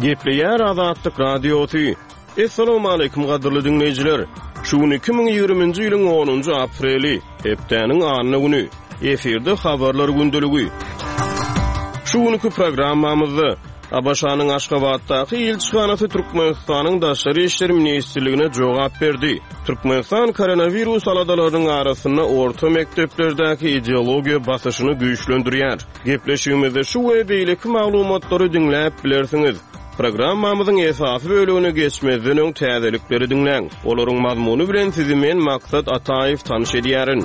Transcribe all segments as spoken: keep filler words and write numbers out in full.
Gepleýär Azatlyk Radiosy. Assalamualaikum gadyrly dinleýjiler. Şu gün iki müň ýigriminji ýylyň onunjy apreli, hepdäniň anna güni. Efirde habarlar gündeligi. Şu günkü programmamyzda A B Ş-nyň Aşgabatdaky ilçihanasy Türkmenistanyň Daşary Işler Ministrligine jogap berdi. Türkmenistan koronavirus aladalarynyň arasynda orta mekdeplerdäki ideologiýa basyşyny güýçlendirýär. Gepleşigimizde şu we beýleki maglumatlary diňläp bilersiňiz. Programmamyzyň esasy bölümine geçmezden öň täzelikleri diňläň. Olaryň mazmuny bilen sizi men Maksat Ataýew tanyş edýärin.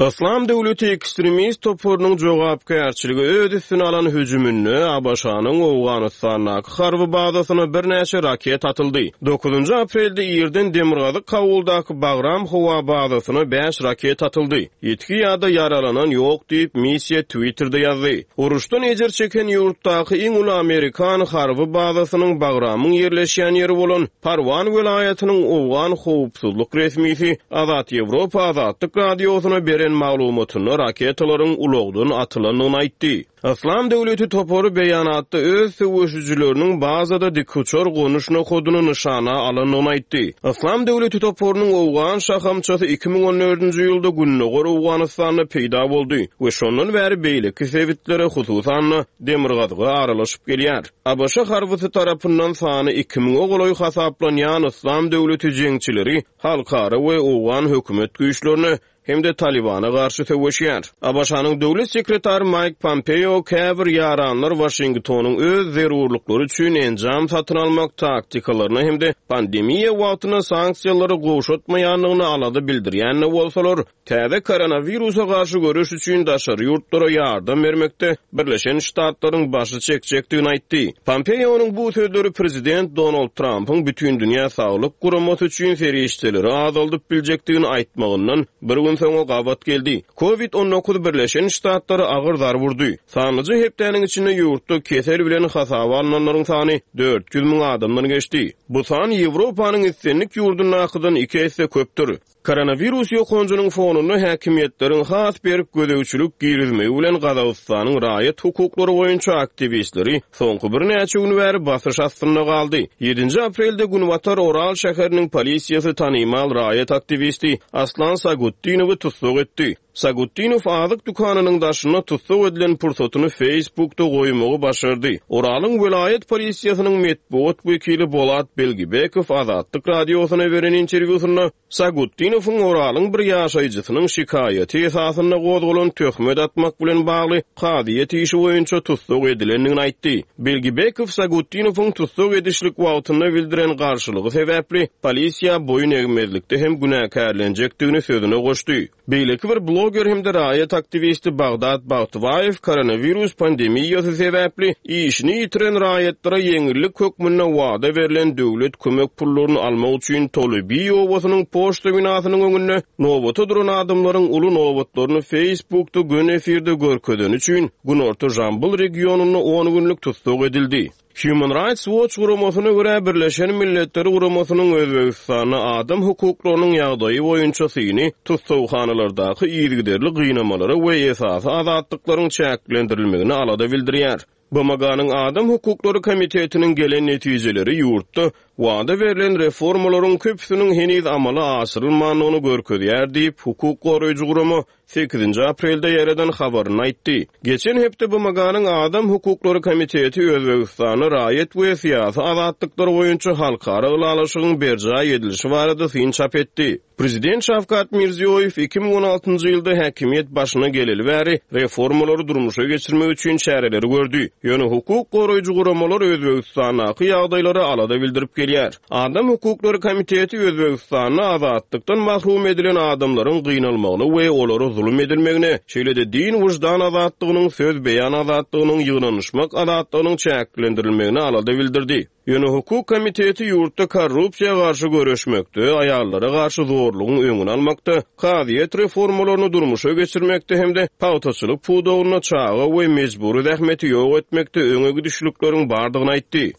Islam döwleti ekstremist toparynyň jogapkärçiligi öz üstüne alan hüjüminde A B Ş-nyň Owganistandaky harby bazasyna birnäçe raket atyldy. Dokuzynjy aprelde irden Demirgazyk Kabuldaky Bagram howa bazasyna bäş raket atyldy. Ýitgi ýa-da ýaralanan ýok diýip missiýa Twitter'de ýazdy. Uruşdan ejir çeken ýurtdaky iň uly Amerikan harby bazasynyň Bagramyň ýerleşýän ýeri bolan Parwan welaýatynyň Owgan howpsuzlyk resmisi Azat Ýewropa Azatlyk radiosyna beren maglumatynda raketalaryň ulagdan atylandygyny aýtdy. Islam döwleti topary beýanatda öz söweşijileriniň bazada dikuçar gonuş nokadyny nyşana alandygyny aýtdy. Islam döwleti toparynyň Owgan şahamçasy iki müň on dördünji ýylda Gündogar Owganystanda peýda boldy we şondan bäri beýleki sebitlere, hususan-da Demirgazyga aralaşyp gelýär. A B Ş harbysy tarapyndan sany iki müňe golaý hasaplanýan Islam döwleti jeňçileri halkara we Owgan hökümet güýçlerine hem-de Talibana garşy söweşýär. A B Ş-nyň döwlet sekretary Mike Pompeo käbir ýaranlar Washingtonyň öz zerurlyklary üçin enjam satyn almak taktikalaryna hem-de pandemiýa wagtynda sanksiýalary gowşatmaýandygyny alada bildirýän bolsalar, täze koronawirusa garşy göreş üçin daşary ýurtlara ýardam bermekde Birleşen Ştatlaryň başy çekjekdigini aýtdy. Pompeo'nyň bu sözleri prezident Donald Trump'yň bütün dünýä saglyk guramasy üçin serişdeleri azaldyp biljekdigini aýtmagyndan bir gün soňra gabat geldi. Covid on dokuz Birleşen Ştatlary agyr zarba urdy. Sanlyja hepdäniň içinde ýurtda kesel bilen hasaba alynanlaryň sany dört ýüz müň adamdan geçdi. Bu san Ýewropanyň islendik ýurdundakydan iki esse köpdür. Koronavirus ýokanjynyň fonunda häkimiýetleriň has berk gözegçilik girizmegi bilen Gazagystanyň raýat hukuklary boýunça aktiwistleri soňky birnäçe gün bäri basyş astynda galdy. Ýedinji aprelde Günbatar Oral şäheriniň polisiýasy tanymal raýat aktiwisti Aslan Sagutdinowy tussag etdi. Sagutdinow azyk dükanynyň daşynda tussag edilen pursatyny Facebook'da goýmagy başardy. Oralyň welaýat polisiýasynyň metbugat wekili Bolat Belgibekow Azatlyk radiosyna beren interwýusynda Sagutdinowyň Oralyň bir ýaşaýjysynyň şikaýaty esasynda gozgalan töhmet atmak bilen bagly kazyýet işi boýunça tussag edilendigini aýtdy. Belgibekow Sagutdinowyň tussag edişlik wagtynda bildiren garşylygy sebäpli polisiýa boýun egmezlikde hem günäkärlenjekdigini sözüne goşdy. Beýleki bir bloger hem-de raýat aktiwisti Bagdat Bagtybaýew koronavirus pandemiýasy sebäpli işini ýitiren raýatlara ýeňillik hökmünde wada berlen döwlet kömek pullaryny almak üçin Tolybi obasynyň poçta binasynyň öňünde nobata duran adamlaryň uly nobatlaryny Facebookda gün efirde görkezeni üçin Günorta Jambyl regionynda on günlük tussag edildi. Human Rights Watch guramasyna görä Birleşen Milletler Guramasynyň Özbegistanda adam hukuklarynyň ýagdaýy boýunça syny tussaghanalardaky yzygiderli gynamalara we esasy azatlyklaryň çäklendirilmegine alada bildirýär. B M G-nyň Adam Hukuklary Komitetiniň gelen netijeleri ýurtda wada berlen reformalaryň köpüsiniň heniz amala aşyrylmandygyny görkezýär diýip hukuk goraýjy gurama sekizinji aprelde ýereden habaryny aýtdy. Geçen hepde B M G-nyň Adam Hukuklary Komiteti Özbegistanda raýat we syýasy azatlyklar boýunça halkara ylalaşygyň berjaý edilişi barada syn çap etdi. Prezident Şawkat Mirziýoýew iki müň on altynjy ýylda häkimiýet başyna geleli bäri reformalary durmuşa geçirmek üçin çäreleri gördi. Ýöne hukuk goraýjy guramalar Özbegistandaky ýagdaýlara alada bildirip gelýär. Adam Hukuklary Komiteti Özbegistanda azatlykdan mahrum edilen adamlaryň gynalmagyny we olara zulum edilmegine, şeýle-de din wyždan azatlygynyň, söz beýan azatlygynyň, ýygnanyşmak azatlygynyň çäklendirilmegine alada bildirdi. Ýöne hukuk komiteti ýurtda korrupsiýa garşy göreşmekde, aýallara garşy zorlugyň öňüni almakda, kazyýet reformalaryny durmuşa geçirmekde hem-de pagtaçylyk pudagynda çaga we mejbury zähmeti ýok etmekde öňe gidişlikleriň bardygyny aýtdy.